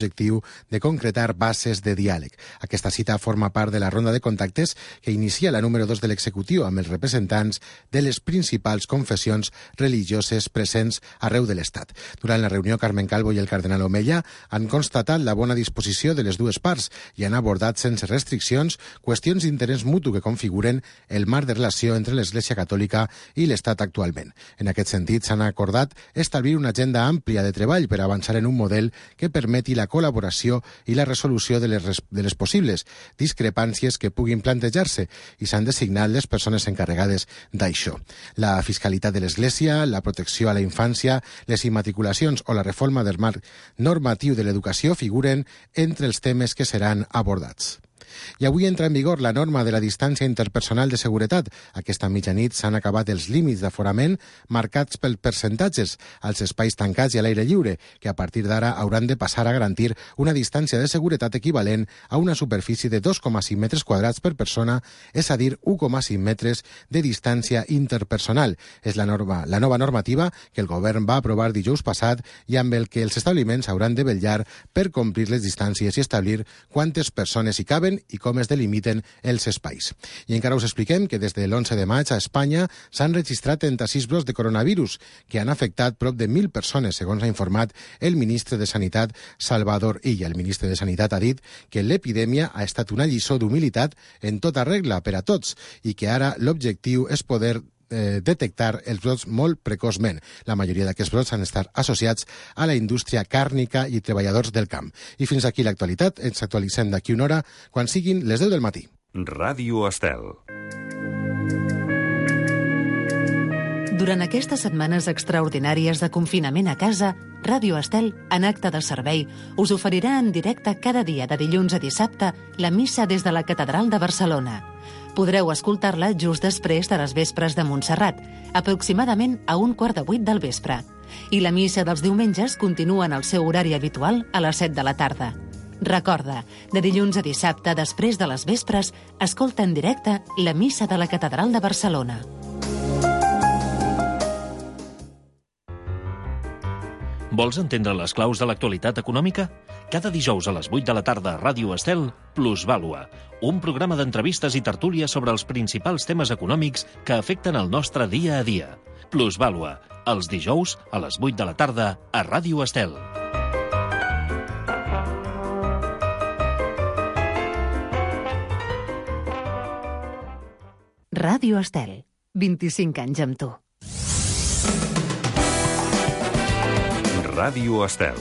l'objectiu de concretar bases de diàleg. Aquesta cita forma part de la ronda de contactes que inicia la número 2 de l'executiu amb els representants de les principals confessions religioses presents arreu de l'Estat. Durant la reunió, Carmen Calvo i el cardenal Omeya han constatat la bona disposició de les dues parts i han abordat sense restriccions qüestions d'interès mutu que configuren el marc de relació entre l'Església Catòlica i l'Estat actualment. En aquest sentit, s'han acordat establir una agenda àmplia de treball per avançar en un model que permeti la col·laboració i la resolució de les possibles discrepàncies que puguin plantejar-se i s'han designat les persones encarregades d'això. La fiscalitat de l'Església, la protecció a la infància, les immatriculacions o la reforma del marc normatiu de l'educació figuren entre els temes que seran abordats. I avui entra en vigor la norma de la distància interpersonal de seguretat. Aquesta mitjanit s'han acabat els límits d'aforament marcats per percentatges als espais tancats i a l'aire lliure, que a partir d'ara hauran de passar a garantir una distància de seguretat equivalent a una superfície de 2,5 metres quadrats per persona, és a dir, 1,5 metres de distància interpersonal. És la nova normativa que el govern va aprovar dijous passat i amb el que els establiments hauran de vetllar per complir les distàncies i establir quantes persones hi caben i com es delimiten els espais. I encara us expliquem que des de l'11 de maig a Espanya s'han registrat 36 brots de coronavirus que han afectat prop de 1.000 persones, segons ha informat el ministre de Sanitat, Salvador Illa. El ministre de Sanitat ha dit que l'epidèmia ha estat una lliçó d'humilitat en tota regla per a tots i que ara l'objectiu és poder detectar els brots molt precoçment. La majoria d'aquests brots han estat associats a la indústria càrnica i treballadors del camp. I fins aquí l'actualitat. Ens actualitzem d'aquí una hora quan siguin les 10 del matí. Ràdio Estel. Durant aquestes setmanes extraordinàries de confinament a casa, Ràdio Estel, en acte de servei, us oferirà en directe cada dia de dilluns a dissabte la missa des de la Catedral de Barcelona. Podreu escoltar-la just després de les vespres de Montserrat, aproximadament a 7:15 del vespre. I la missa dels diumenges continua en el seu horari habitual a les 7 de la tarda. Recorda, de dilluns a dissabte, després de les vespres, escolta en directe la missa de la Catedral de Barcelona. Vols entendre les claus de l'actualitat econòmica? Cada dijous a les 8 de la tarda a Ràdio Estel, Plusvàlua, un programa d'entrevistes i tertúlies sobre els principals temes econòmics que afecten el nostre dia a dia. Plusvàlua, els dijous a les 8 de la tarda a Ràdio Estel. Ràdio Estel, 25 anys amb tu. Ràdio Estel.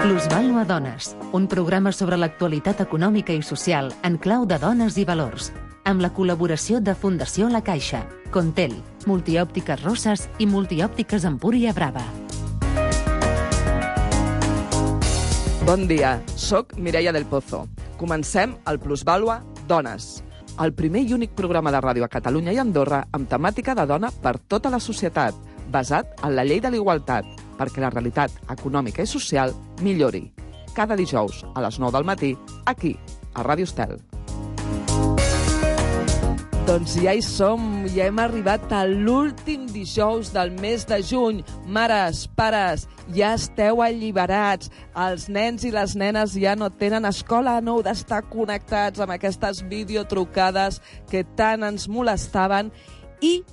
Plusvàlua Dones, un programa sobre l'actualitat econòmica i social en clau de dones i valors, amb la col·laboració de Fundació La Caixa, Contel, Multiòptiques Rosses i Multiòptiques Empúria Brava. Bon dia, soc Mireia del Pozo. Comencem el Plusvàlua Dones, el primer i únic programa de ràdio a Catalunya i Andorra amb temàtica de dona per tota la societat, basat en la llei de l'igualtat, perquè la realitat econòmica i social millori. Cada dijous a les 9 del matí, aquí, a Ràdio Estel. Doncs ja hi som, ja hem arribat a l'últim dijous del mes de juny. Mares, pares, ja esteu alliberats. Els nens i les nenes ja no tenen escola, no heu d'estar connectats amb aquestes videotrucades que tant ens molestaven i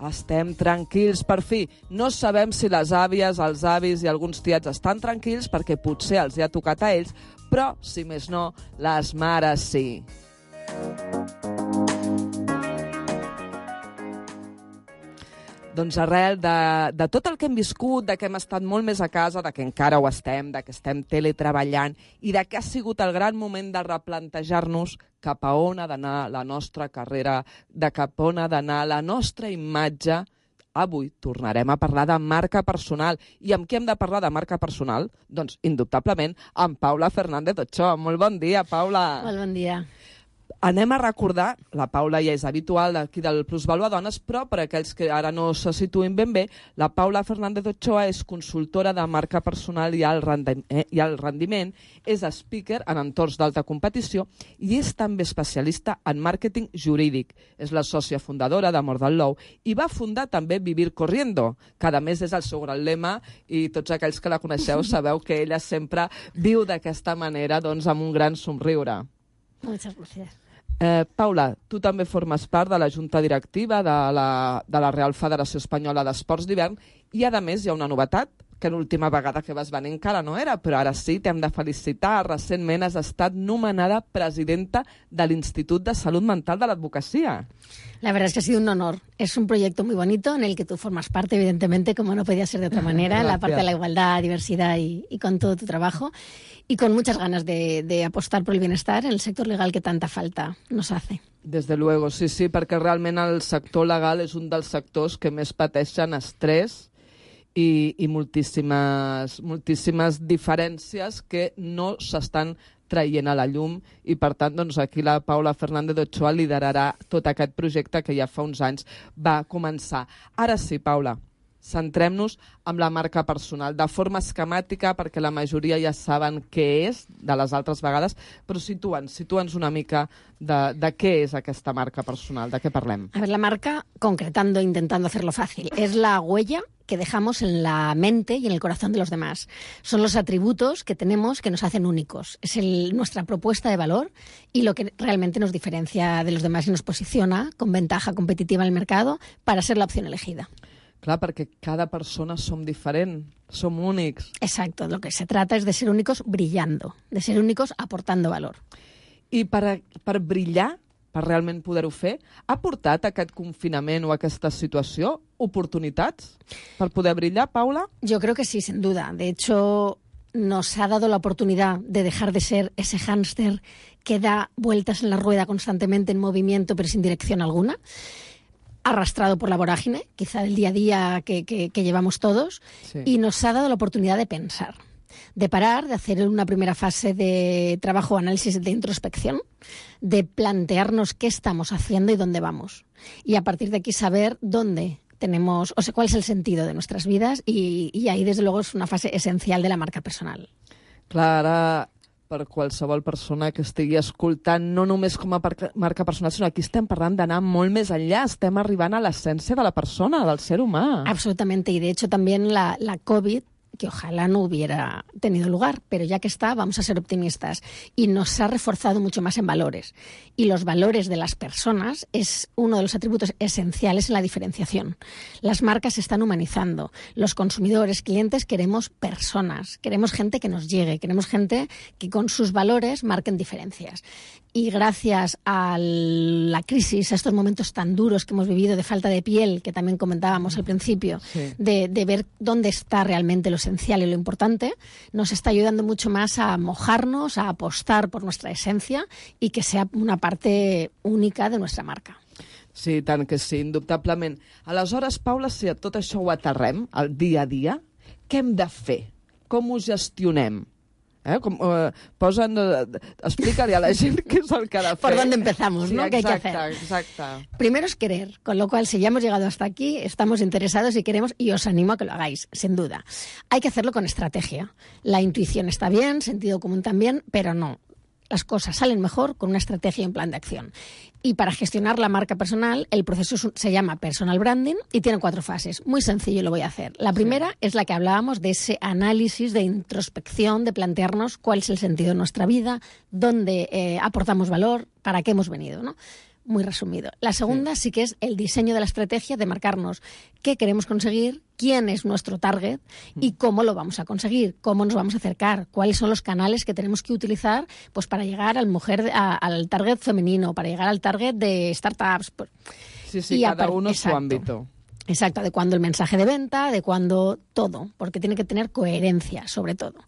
estem tranquils, per fi. No sabem si les àvies, els avis i alguns tiets estan tranquils perquè potser els hi ha tocat a ells, però, si més no, les mares sí. Doncs arrel de tot el que hem viscut, de que hem estat molt més a casa, de que encara ho estem, de que estem teletreballant i de que ha sigut el gran moment de replantejar-nos cap a on ha d'anar la nostra carrera, de cap a on ha d'anar la nostra imatge, avui tornarem a parlar de marca personal. I amb qui hem de parlar de marca personal? Doncs, indubtablement, amb Paula Fernández Ochoa. Molt bon dia, Paula. Molt bon dia. Anem a recordar, la Paula ja és habitual d'aquí del Plusvalua Dones, però per aquells que ara no se situïn ben bé, la Paula Fernández Ochoa és consultora de marca personal i alt rendiment, és speaker en entorns d'alta competició i és també especialista en màrqueting jurídic. És la sòcia fundadora d'Amor del Lou i va fundar també Vivir Corriendo, que a més és el seu gran lema i tots aquells que la coneixeu sabeu que ella sempre viu d'aquesta manera, doncs, amb un gran somriure. Muchas gracias. Paula, tu també formes part de la junta directiva de la Real Federació Espanyola d'Esports d'Hivern i, a més, hi ha una novetat, que l'última vegada que vas venir encara no era, però ara sí, t'hem de felicitar. Recentment has estat nomenada presidenta de l'Institut de Salud Mental de l'Advocacia. La verdad es que ha sido un honor. Es un proyecto muy bonito en el que tú formas parte, evidentemente, como no podía ser de otra manera, en la parte de la igualdad, diversidad y con todo tu trabajo. Y con muchas ganas de apostar por el bienestar en el sector legal que tanta falta nos hace. Desde luego, sí, perquè realment el sector legal és un dels sectors que més pateixen estrès i moltíssimes diferències que no s'estan traient a la llum i, per tant, doncs, aquí la Paula Fernández Ochoa liderarà tot aquest projecte que ja fa uns anys va començar. Ara sí, Paula, centrem-nos en la marca personal, de forma esquemàtica, perquè la majoria ja saben què és de les altres vegades, però situa'ns una mica de què és aquesta marca personal, de què parlem. A ver, la marca, concretando, intentando hacerlo fácil, es la huella que dejamos en la mente y en el corazón de los demás. Son los atributos que tenemos que nos hacen únicos. Es nuestra propuesta de valor y lo que realmente nos diferencia de los demás y nos posiciona con ventaja competitiva en el mercado para ser la opción elegida. Clar, perquè cada persona som diferent, som únics. Exacto, lo que se trata es de ser únicos brillando, de ser únicos aportando valor. I per brillar, per realment poder-ho fer, ha portat aquest confinament o aquesta situació oportunitats per poder brillar, Paula? Yo creo que sí, sin duda. De hecho, nos ha dado la oportunidad de dejar de ser ese hámster que da vueltas en la rueda constantemente en movimiento pero sin dirección alguna, arrastrado por la vorágine, quizá del día a día que llevamos todos, sí. Y nos ha dado la oportunidad de pensar, de parar, de hacer una primera fase de trabajo, análisis de introspección, de plantearnos qué estamos haciendo y dónde vamos. Y a partir de aquí saber dónde tenemos, o sea, cuál es el sentido de nuestras vidas y ahí, desde luego, es una fase esencial de la marca personal. Clar, per qualsevol persona que estigui escoltant, no només com a marca personal, sinó aquí estem parlant d'anar molt més enllà, estem arribant a l'essència de la persona, del ser humà. Absolutamente, y de hecho también la COVID, que ojalá no hubiera tenido lugar, pero ya que está, vamos a ser optimistas. Y nos ha reforzado mucho más en valores. Y los valores de las personas es uno de los atributos esenciales en la diferenciación. Las marcas se están humanizando. Los consumidores, clientes, queremos personas, queremos gente que nos llegue, queremos gente que con sus valores marquen diferencias. Y gracias a la crisis, a estos momentos tan duros que hemos vivido de falta de piel, que también comentábamos al principio, sí. de ver dónde está realmente lo esencial y lo importante, nos está ayudando mucho más a mojarnos, a apostar por nuestra esencia y que sea una parte única de nuestra marca. Sí, tant que sí, indubtablement. Aleshores, Paula, si a tot això ho aterrem, al dia a dia, què hem de fer? Com ho gestionem? Explica-li a la gent qué es el que ha de fer. Por dónde empezamos, sí, ¿no? ¿Qué hay que hacer? Exacto. Primero es querer, con lo cual, si ya hemos llegado hasta aquí, estamos interesados y queremos, y os animo a que lo hagáis, sin duda. Hay que hacerlo con estrategia. La intuición está bien, sentido común también, pero no. Las cosas salen mejor con una estrategia y un plan de acción. Y para gestionar la marca personal, el proceso se llama personal branding y tiene 4 fases. Muy sencillo, lo voy a hacer. La primera es la que hablábamos de ese análisis de introspección, de plantearnos cuál es el sentido de nuestra vida, dónde aportamos valor, para qué hemos venido, ¿no? Muy resumido. La segunda sí que es el diseño de la estrategia, de marcarnos qué queremos conseguir, quién es nuestro target y cómo lo vamos a conseguir, cómo nos vamos a acercar, cuáles son los canales que tenemos que utilizar pues para llegar al target femenino, para llegar al target de startups. Sí, cada uno su ámbito. Exacto, adecuando el mensaje de venta, adecuando todo, porque tiene que tener coherencia, sobre todo.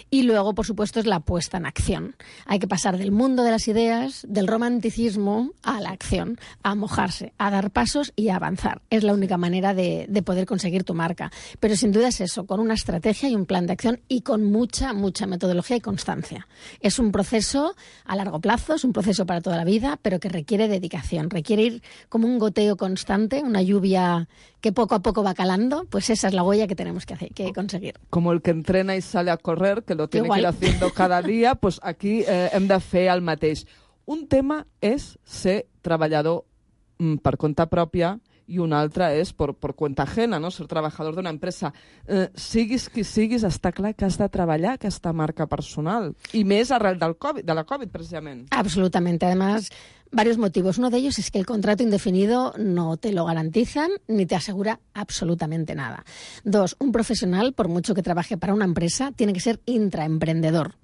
Y luego, por supuesto, es la puesta en acción. Hay que pasar del mundo de las ideas, del romanticismo, a la acción, a mojarse, a dar pasos y a avanzar. Es la única manera de poder conseguir tu marca. Pero sin duda es eso, con una estrategia y un plan de acción y con mucha metodología y constancia. Es un proceso a largo plazo, es un proceso para toda la vida, pero que requiere dedicación, requiere ir como un goteo constante, una lluvia que poco a poco va calando, pues esa es la huella que tenemos que conseguir. Como el que entrena y sale a correr, que lo tiene que ir haciendo cada dia, pues aquí hem de fer el mateix. Un tema és ser treballador per compte pròpia i un altre és per cuenta ajena, no? Ser trabajador d'una empresa. Siguis qui siguis, està clar que has de treballar aquesta marca personal. I més arrel del COVID, de la Covid, precisament. Absolutamente. Además, varios motivos. Uno de ellos es que el contrato indefinido no te lo garantizan ni te asegura absolutamente nada. Dos, un profesional, por mucho que trabaje para una empresa, tiene que ser intraemprendedor.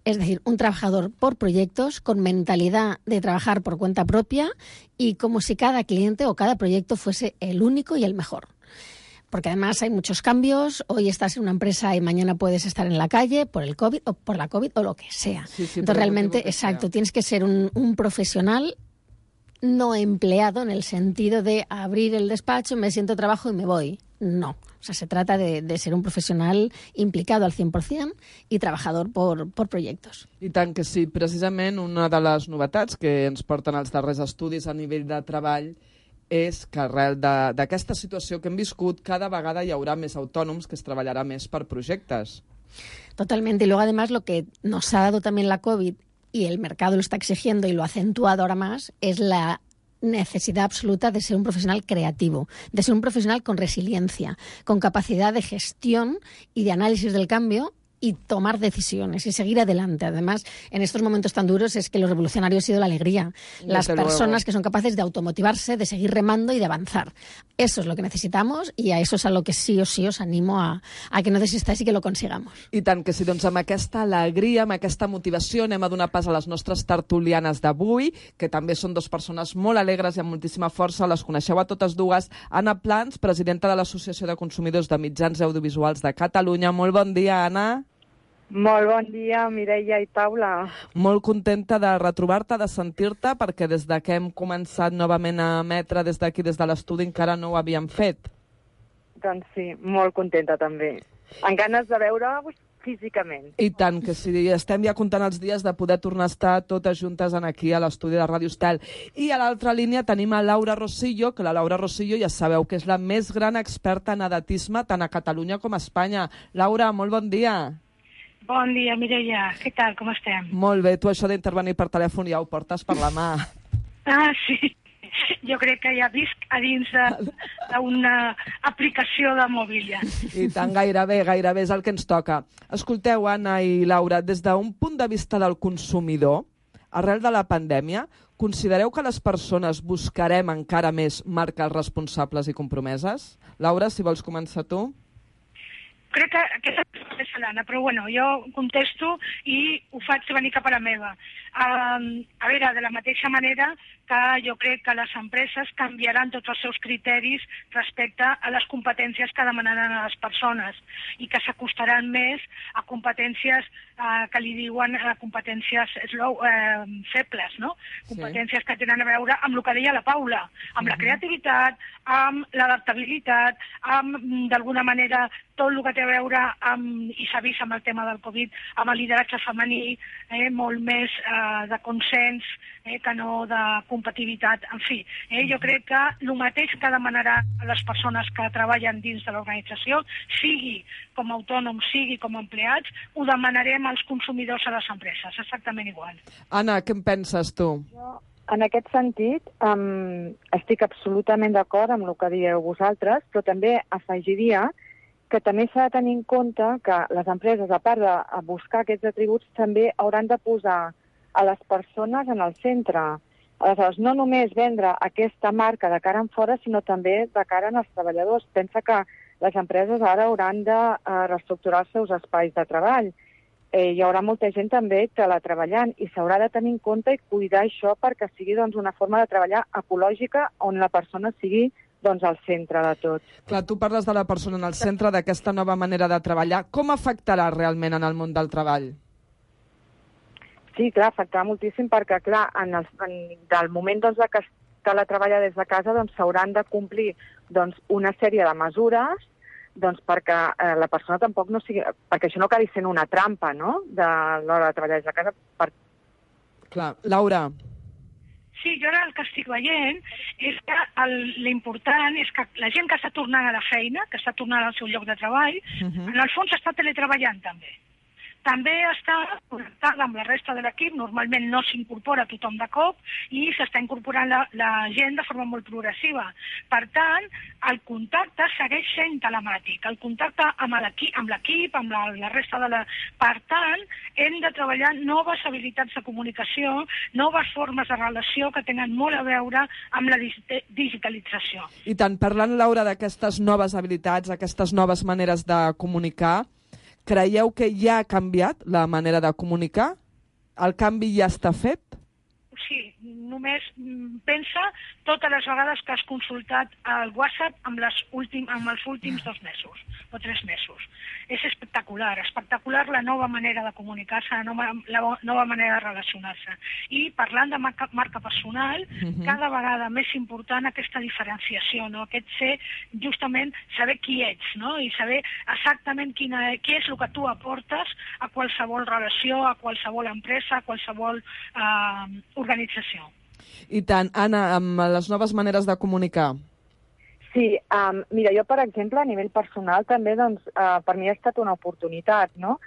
Es decir, un trabajador por proyectos con mentalidad de trabajar por cuenta propia y como si cada cliente o cada proyecto fuese el único y el mejor. Porque además hay muchos cambios, hoy estás en una empresa y mañana puedes estar en la calle por el COVID o por la COVID o lo que sea. Sí, entonces realmente, exacto, tienes que ser un profesional no empleado en el sentido de abrir el despacho, me siento trabajo y me voy. No, o sea, se trata de ser un profesional implicado al 100% y trabajador por proyectos. I tant que sí, precisament una de les novetats que ens porten els darrers estudis a nivell de treball és que arrel d'aquesta situació que hem viscut, cada vegada hi haurà més autònoms que es treballarà més per projectes. Totalmente. Y luego, además, lo que nos ha dado también la COVID, y el mercado lo está exigiendo y lo ha acentuado ahora más, es la necesidad absoluta de ser un profesional creativo, de ser un profesional con resiliencia, con capacidad de gestión y de análisis del cambio y tomar decisiones y seguir adelante. Además, en estos momentos tan duros es que lo revolucionario ha sido la alegría. Las personas que son capaces de automotivarse, de seguir remando y de avanzar. Eso es lo que necesitamos y a eso es a lo que sí o sí os animo a que no desistáis y que lo consigamos. I tant que sí, doncs amb aquesta alegria, amb aquesta motivació, anem a donar pas a les nostres tertulianes d'avui, que també són dues persones molt alegres i amb moltíssima força. Les coneixeu a totes dues. Anna Plans, presidenta de l'Associació de Consumidors de Mitjans Audiovisuals de Catalunya. Molt bon dia, Anna. Molt bon dia, Mireia i Paula. Molt contenta de retrobar-te, de sentir-te, perquè des que hem començat novament a emetre des d'aquí, des de l'estudi, encara no ho havíem fet. Doncs sí, molt contenta també. Amb ganes de veure-vos físicament. I tant que sí, estem ja comptant els dies de poder tornar a estar totes juntes aquí a l'estudi de Ràdio Estel. I a l'altra línia tenim a Laura Rosillo, que la Laura Rosillo ja sabeu que és la més gran experta en edatisme tant a Catalunya com a Espanya. Laura, molt bon dia. Bon dia, Mireia. Què tal? Com estem? Molt bé. Tu això d'intervenir per telèfon ja ho portes per la mà. Ah, sí. Jo crec que ja visc a dins d'una aplicació de mòbil ja. I tant, gairebé és el que ens toca. Escolteu, Anna i Laura, des d'un punt de vista del consumidor, arrel de la pandèmia, considereu que les persones buscarem encara més marques responsables i compromeses? Laura, si vols començar tu. Crec que aquesta és l'Anna, però bueno, jo contesto i ho faig venir cap a la meva. A veure, de la mateixa manera que jo crec que les empreses canviaran tots els seus criteris respecte a les competències que demanaran a les persones i que s'acostaran més a competències que li diuen competències febles, no? Competències que tenen a veure amb el que deia la Paula, amb la creativitat, amb l'adaptabilitat, amb, d'alguna manera, tot el que té a veure amb, i s'ha vist amb el tema del Covid, amb el lideratge femení, molt més de consens que no de competitivitat. En fi, jo crec que el mateix que demanarà a les persones que treballen dins de l'organització, sigui com a autònoms, sigui com a empleats, ho demanarem als consumidors a les empreses, exactament igual. Anna, què en penses tu? Jo, en aquest sentit, estic absolutament d'acord amb el que dieu vosaltres, però també afegiria que també s'ha de tenir en compte que les empreses, a part de buscar aquests atributs, també hauran de posar a les persones en el centre. Aleshores, no només vendre aquesta marca de cara en fora, sinó també de cara als treballadors. Pensa que les empreses ara hauran de reestructurar els seus espais de treball. Hi haurà molta gent també teletreballant i s'haurà de tenir en compte i cuidar això perquè sigui una forma de treballar ecològica on la persona sigui doncs, al centre de tot. Clar, tu parles de la persona en el centre, d'aquesta nova manera de treballar. Com afectarà realment en el món del treball? Sí, clar, afectarà moltíssim perquè, clar, del moment doncs, que es teletreballa des de casa doncs, s'hauran de complir doncs, una sèrie de mesures doncs, perquè la persona tampoc no sigui... perquè això no acabi sent una trampa, no?, de l'hora de treballar des de casa. Clar, Laura. Sí, jo ara el que estic veient és que l'important és que la gent que està tornant a la feina, que està tornant al seu lloc de treball, en el fons està teletreballant també. També està connectada amb la resta de l'equip, normalment no s'incorpora tothom de cop i s'està incorporant la gent de forma molt progressiva. Per tant, el contacte segueix sent telemàtic, el contacte amb l'equip, amb la resta de la... Per tant, hem de treballar noves habilitats de comunicació, noves formes de relació que tenen molt a veure amb la digitalització. I tant, parlant, Laura, d'aquestes noves habilitats, aquestes noves maneres de comunicar, creieu que ja ha canviat la manera de comunicar? El canvi ja està fet? Sí, només pensa totes les vegades que has consultat el WhatsApp amb els últims 2 mesos o 3 mesos. És espectacular la nova manera de comunicar-se, la nova manera de relacionar-se. I parlant de marca personal, cada vegada més important aquesta diferenciació, no? Aquest justament saber qui ets, no? I saber exactament què és el que tu aportes a qualsevol relació, a qualsevol empresa, a qualsevol organització. I tant. Anna, amb les noves maneres de comunicar. Sí, mira, jo, per exemple, a nivell personal també, doncs, per mi ha estat una oportunitat, no?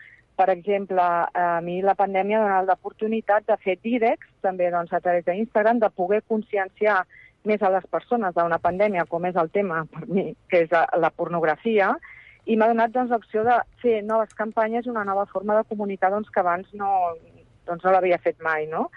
Per exemple, a mi la pandèmia ha donat l'oportunitat de fer directs, també doncs, a través d'Instagram, de poder conscienciar més a les persones d'una pandèmia, com és el tema per mi, que és la pornografia, i m'ha donat doncs, l'opció de fer noves campanyes i una nova forma de comunicar doncs, que abans no l'havia fet mai, no?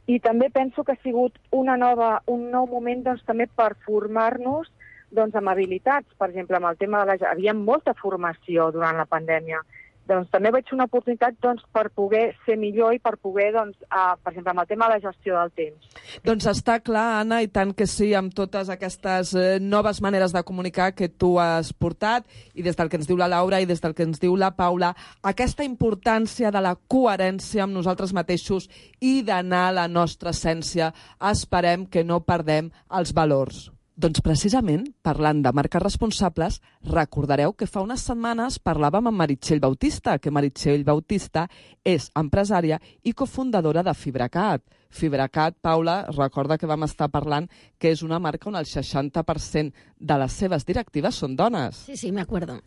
I també penso que ha sigut un nou moment doncs, també per formar-nos doncs, amb habilitats. Per exemple, amb el tema de havia molta formació durant la pandèmia. Doncs també veig una oportunitat doncs, per poder ser millor i per poder, doncs, per exemple, amb el tema de la gestió del temps. Doncs està clar, Anna, i tant que sí, amb totes aquestes noves maneres de comunicar que tu has portat, i des del que ens diu la Laura i des del que ens diu la Paula, aquesta importància de la coherència amb nosaltres mateixos i d'anar a la nostra essència. Esperem que no perdem els valors. Doncs precisament, parlant de marques responsables, recordareu que fa unes setmanes parlàvem amb Meritxell Bautista, que Meritxell Bautista és empresària i cofundadora de Fibracat. Fibracat, Paula, recorda que vam estar parlant que és una marca on el 60% de les seves directives són dones. Sí, me acuerdo.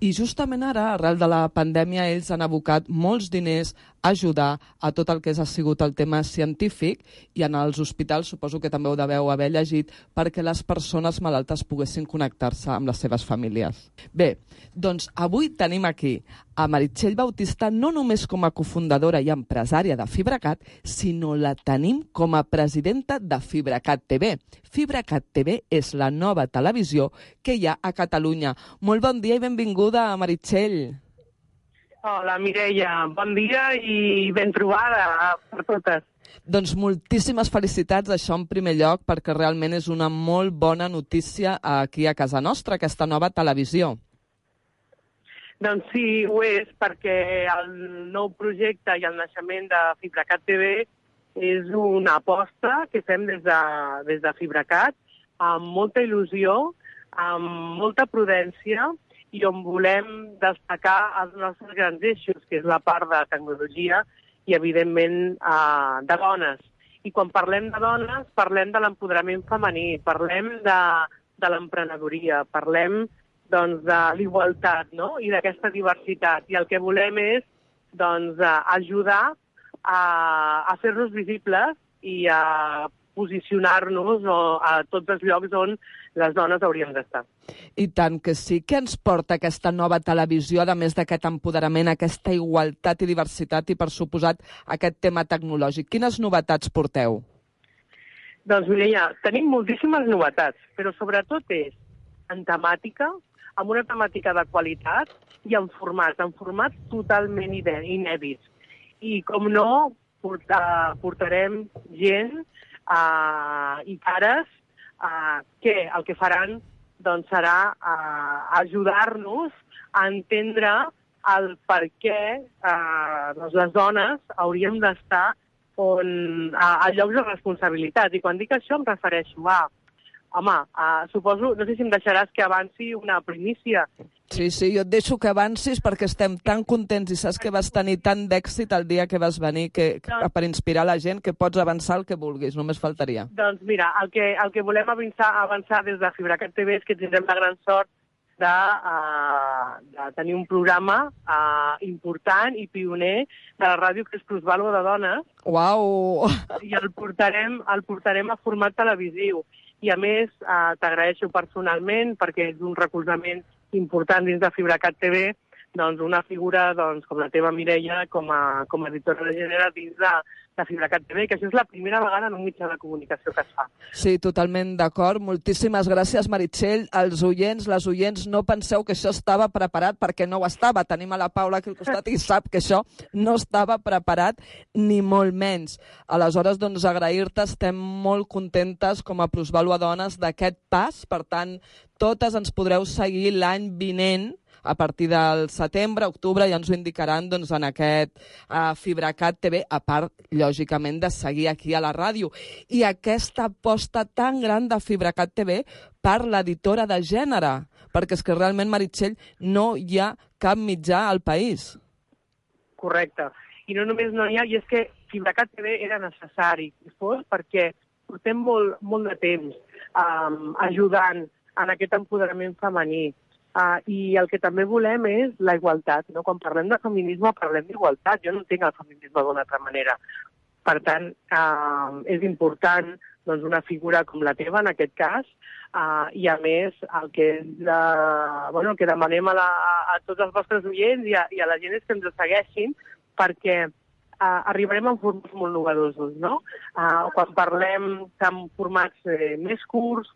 I justament ara, arrel de la pandèmia, ells han abocat molts diners a ajudar a tot el que ha sigut el tema científic i en els hospitals, suposo que també ho deveu haver llegit, perquè les persones malaltes poguessin connectar-se amb les seves famílies. Bé, doncs avui tenim aquí a Meritxell Bautista no només com a cofundadora i empresària de Fibracat, sinó la tenim com a presidenta de Fibracat TV. Fibracat TV és la nova televisió que hi ha a Catalunya. Molt bon dia i benvinguda, Meritxell. Hola, Mireia. Bon dia i ben trobada per totes. Doncs moltíssimes felicitats, això en primer lloc, perquè realment és una molt bona notícia aquí a casa nostra, aquesta nova televisió. Doncs sí, ho és, perquè el nou projecte i el naixement de Fibracat TV és una aposta que fem des de Fibracat amb molta il·lusió, amb molta prudència i on volem destacar els nostres grans eixos, que és la part de tecnologia i, evidentment, de dones. I quan parlem de dones, parlem de l'empoderament femení, parlem de l'emprenedoria, parlem doncs, de l'igualtat, no? I d'aquesta diversitat. I el que volem és doncs, ajudar a fer-nos visibles i a posicionar-nos a tots els llocs on les dones hauríem d'estar. I tant que sí. Què ens porta aquesta nova televisió, a més d'aquest empoderament, aquesta igualtat i diversitat i, per suposat, aquest tema tecnològic? Quines novetats porteu? Doncs, Mireia, tenim moltíssimes novetats, però sobretot és en temàtica, amb una temàtica de qualitat i en formats totalment inèdits. I, com no, portarem gent i cares que el que faran doncs serà ajudar-nos a entendre el per què doncs les dones hauríem d'estar a llocs de responsabilitat. I quan dic això em refereixo a... Home, suposo, no sé si em deixaràs que avanci una primícia. Sí, jo et deixo que avancis perquè estem tan contents i saps que vas tenir tant d'èxit el dia que vas venir per inspirar la gent que pots avançar el que vulguis, només faltaria. Doncs mira, el que volem avançar des de FibraCat TV és que tindrem la gran sort de tenir un programa important i pioner de la ràdio que és Plusvàlua de Dones. Uau! I el portarem a format televisiu. I a més, t'agraeixo personalment perquè és un recolzament important dins de FibraCat TV, doncs una figura com la teva Mireia com a editora de gènere dins de FibraCat TV, que això és la primera vegada en un mitjà de comunicació que es fa. Sí, totalment d'acord. Moltíssimes gràcies, Meritxell. Els oients, les oients, no penseu que això estava preparat, perquè no ho estava. Tenim a la Paula aquí al costat i sap que això no estava preparat, ni molt menys. Aleshores, doncs, agrair-te, estem molt contentes com a Plusvàlua Dones d'aquest pas. Per tant, totes ens podreu seguir l'any vinent, a partir del setembre, octubre, ja ens ho indicaran doncs, en aquest FibraCat TV, a part, lògicament, de seguir aquí a la ràdio. I aquesta aposta tan gran de FibraCat TV per l'editora de gènere, perquè és que realment, Meritxell, no hi ha cap mitjà al país. Correcte. I no només no hi ha, i és que FibraCat TV era necessari que fos perquè portem molt de temps ajudant en aquest empoderament femení. I el que també volem és la igualtat, no? Quan parlem de feminisme parlem d'igualtat. Jo no entenc el feminisme d'una altra manera. Per tant, és important doncs, una figura com la teva, en aquest cas, i a més el que demanem a tots els vostres oients i a la gent és que ens segueixin, perquè arribarem en formats molt novedosos, no? Quan parlem de formats més curts,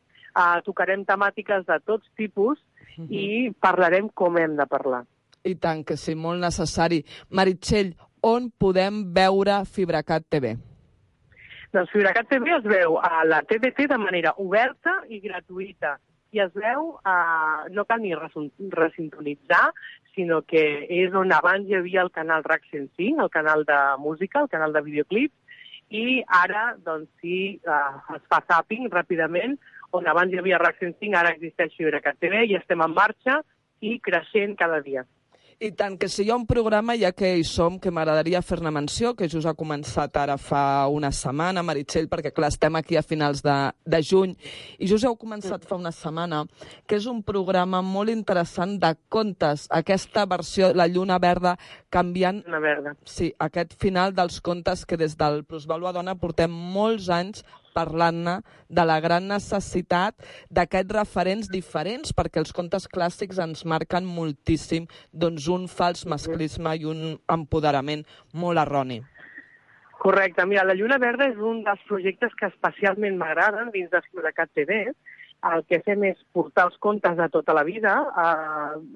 tocarem temàtiques de tots tipus, i parlarem com hem de parlar. I tant que sí, molt necessari. Meritxell, on podem veure FibraCat TV? Doncs FibraCat TV es veu a la TDT de manera oberta i gratuïta. I es veu, no cal ni resintonitzar, sinó que és on abans hi havia el canal RAC 105, el canal de música, el canal de videoclips, i ara, doncs sí, es fa zapping ràpidament, on abans hi havia RAC 105, ara existeix FibraCat TV i estem en marxa i creixent cada dia. I tant que si hi ha un programa, ja que hi som, que m'agradaria fer-ne menció, que just ha començat ara fa una setmana, Meritxell, perquè clar, estem aquí a finals de juny, i just heu començat fa una setmana, que és un programa molt interessant de contes, aquesta versió, la Lluna Verda, canviant... Lluna Verda. Sí, aquest final dels contes que des del Plusvàlua Dona portem molts anys parlant-ne de la gran necessitat d'aquests referents diferents, perquè els contes clàssics ens marquen moltíssim doncs, un fals masclisme i un empoderament molt erroni. Correcte. Mira, la Lluna Verda és un dels projectes que especialment m'agraden dins de FibraCat TV. El que fem és portar els contes de tota la vida.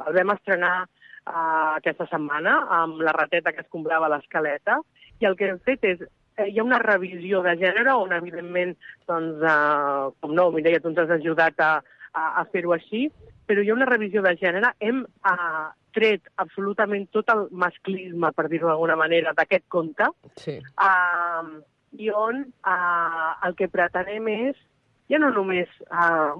El vam estrenar aquesta setmana amb la rateta que escombrava l'escaleta, i el que hem fet és hi ha una revisió de gènere on, evidentment, doncs, com no, Mireia, tu ens has ajudat a fer-ho així, però hi ha una revisió de gènere. Hem tret absolutament tot el masclisme, per dir-ho d'alguna manera, d'aquest conte, sí. I on el que pretenem és ja no només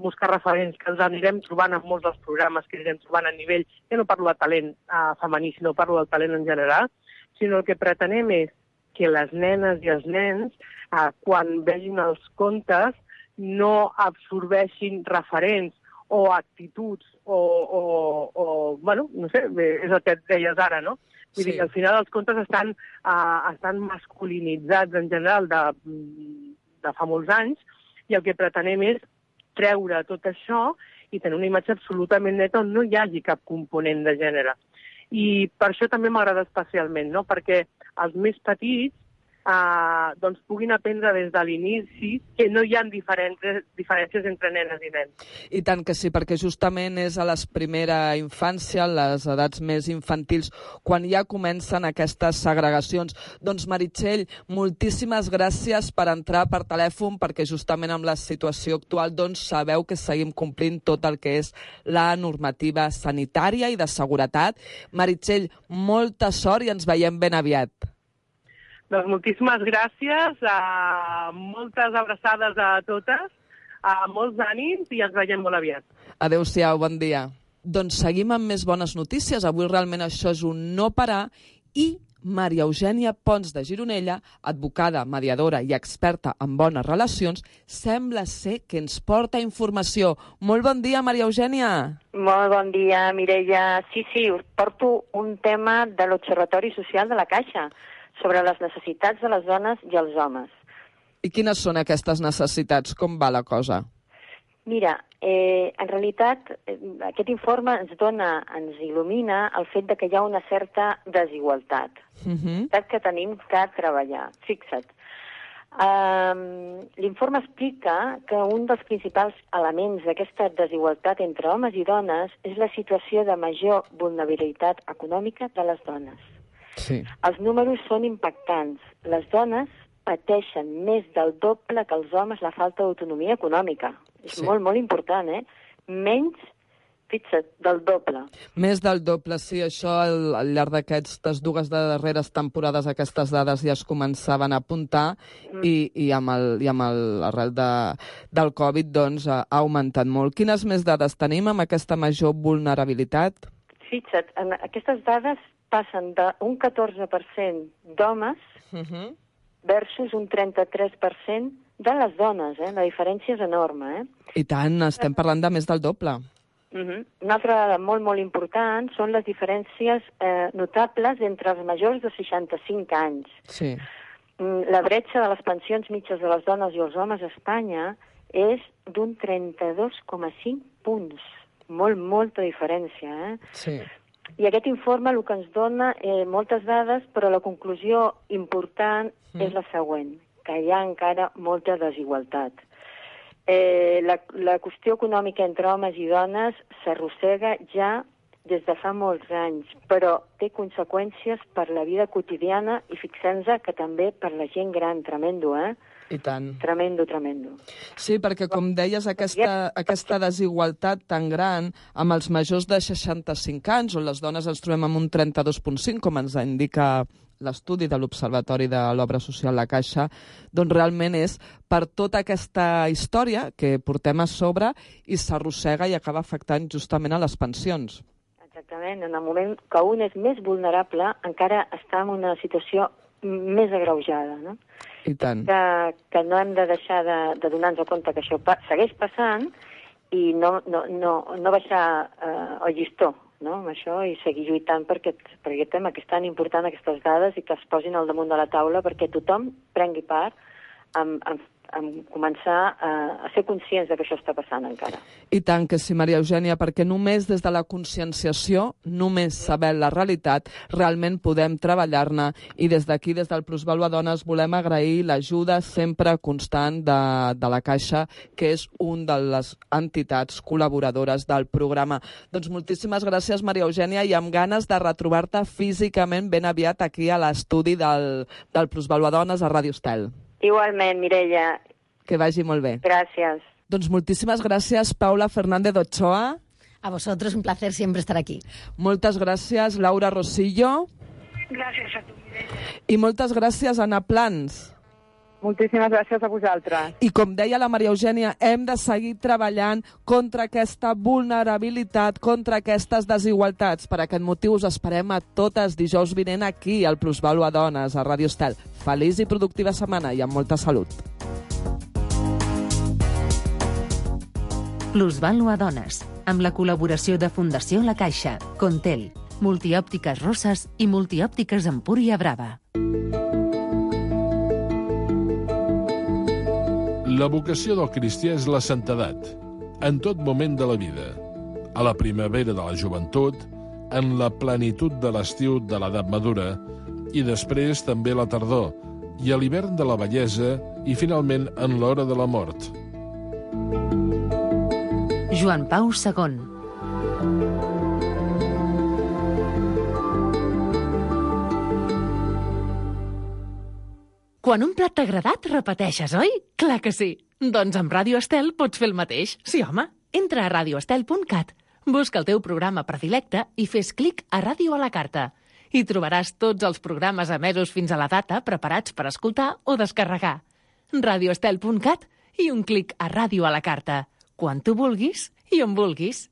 buscar referents que ens anirem trobant en molts dels programes que anirem trobant a nivell, ja no parlo de talent femení, sinó parlo del talent en general, sinó el que pretenem és que les nenes i els nens, quan vegin els contes, no absorbeixin referents o actituds bueno, no sé, és el que et deies ara, no? Vull dir que al final els contes estan masculinitzats en general de fa molts anys, i el que pretenem és treure tot això i tenir una imatge absolutament neta on no hi hagi cap component de gènere. I per això també m'agrada especialment, no? Perquè els més petits doncs puguin aprendre des de l'inici que no hi ha diferències entre nenes i nens. I tant que sí, perquè justament és a les primera infància, les edats més infantils, quan ja comencen aquestes segregacions. Doncs Meritxell, moltíssimes gràcies per entrar per telèfon, perquè justament amb la situació actual doncs sabeu que seguim complint tot el que és la normativa sanitària i de seguretat. Meritxell, molta sort i ens veiem ben aviat. Doncs moltíssimes gràcies, moltes abraçades a totes, molts ànims i ens veiem molt aviat. Adéu-siau, bon dia. Doncs seguim amb més bones notícies. Avui realment això és un no parar i Maria Eugènia Pons de Gironella, advocada, mediadora i experta en bones relacions, sembla ser que ens porta informació. Molt bon dia, Maria Eugènia. Molt bon dia, Mireia. Sí, us porto un tema de l'Observatori Social de la Caixa sobre les necessitats de les dones i els homes. I quines són aquestes necessitats? Com va la cosa? Mira, en realitat aquest informe ens il·lumina el fet de que hi ha una certa desigualtat que tenim que treballar. Fixa't. L'informe explica que un dels principals elements d'aquesta desigualtat entre homes i dones és la situació de major vulnerabilitat econòmica de les dones. Sí. Els números són impactants. Les dones pateixen més del doble que els homes la falta d'autonomia econòmica. És molt, molt important, Menys, fixa't, del doble. Més del doble, sí. Això al llarg d'aquestes dues darreres temporades aquestes dades ja es començaven a apuntar i amb l'arrel del Covid doncs, ha augmentat molt. Quines més dades tenim amb aquesta major vulnerabilitat? Fixa't, aquestes dades passen d'un 14% d'homes versus un 33% de les dones. La diferència és enorme. I tant, estem parlant de més del doble. Una altra dada molt, molt important són les diferències notables entre els majors de 65 anys. Sí. La bretxa de les pensions mitges de les dones i els homes a Espanya és d'un 32,5 punts. Molta diferència, Sí. I aquest informe el que ens dona moltes dades, però la conclusió important és la següent, que hi ha encara molta desigualtat. La qüestió econòmica entre homes i dones s'arrossega ja des de fa molts anys, però té conseqüències per la vida quotidiana i fixem-nos que també per la gent gran, tremendo, I tant. Tremendo. Sí, perquè, com deies, aquesta desigualtat tan gran amb els majors de 65 anys, on les dones ens trobem amb un 32,5, com ens indica l'estudi de l'Observatori de l'Obra Social La Caixa, doncs realment és per tota aquesta història que portem a sobre i s'arrossega i acaba afectant justament a les pensions. Exactament. En el moment que un és més vulnerable, encara està en una situació més agreujada, no? I tant. Que no hem de deixar de donar-nos compte que això segueix passant i no baixar el llistó, no? Amb això, i seguir lluitant per aquest tema, que és tan important aquestes dades i que es posin al damunt de la taula perquè tothom prengui part en començar a ser conscients de que això està passant encara. I tant que sí, Maria Eugènia, perquè només des de la conscienciació, només sabent la realitat, realment podem treballar-ne, i des d'aquí, des del Plusvàlua Dones, volem agrair l'ajuda sempre constant de la Caixa, que és un de les entitats col·laboradores del programa. Doncs moltíssimes gràcies, Maria Eugènia, i amb ganes de retrobar-te físicament ben aviat aquí a l'estudi del Plusvàlua Dones a Ràdio Estel. Igualment, Mireia. Que vagi molt bé. Gràcies. Doncs moltíssimes gràcies, Paula Fernández Ochoa. A vosotros, un placer siempre estar aquí. Moltes gràcies, Laura Rosillo. Gràcies a tu, Mireia. I moltes gràcies, Anna Plans. Moltíssimes gràcies a vosaltres. I com deia la Maria Eugènia, hem de seguir treballant contra aquesta vulnerabilitat, contra aquestes desigualtats. Per aquest motiu us esperem a totes dijous vinent aquí, al Plusvàlua Dones, a Ràdio Estel. Feliç i productiva setmana i amb molta salut. Plusvàlua Dones, amb la col·laboració de Fundació La Caixa, Contel, Multiòptiques Roses i Multiòptiques Empúria Brava. La vocació del cristià és la santedat, en tot moment de la vida, a la primavera de la joventut, en la plenitud de l'estiu de l'edat madura i després també la tardor i a l'hivern de la vellesa i, finalment, en l'hora de la mort. Joan Pau II. Quan un plat t'ha agradat, repeteixes, oi? Clar que sí. Doncs amb Ràdio Estel pots fer el mateix. Sí, home. Entra a radioestel.cat, busca el teu programa predilecte i fes clic a Ràdio a la carta. Hi trobaràs tots els programes emesos fins a la data preparats per escoltar o descarregar. radioestel.cat i un clic a Ràdio a la carta. Quan tu vulguis i on vulguis.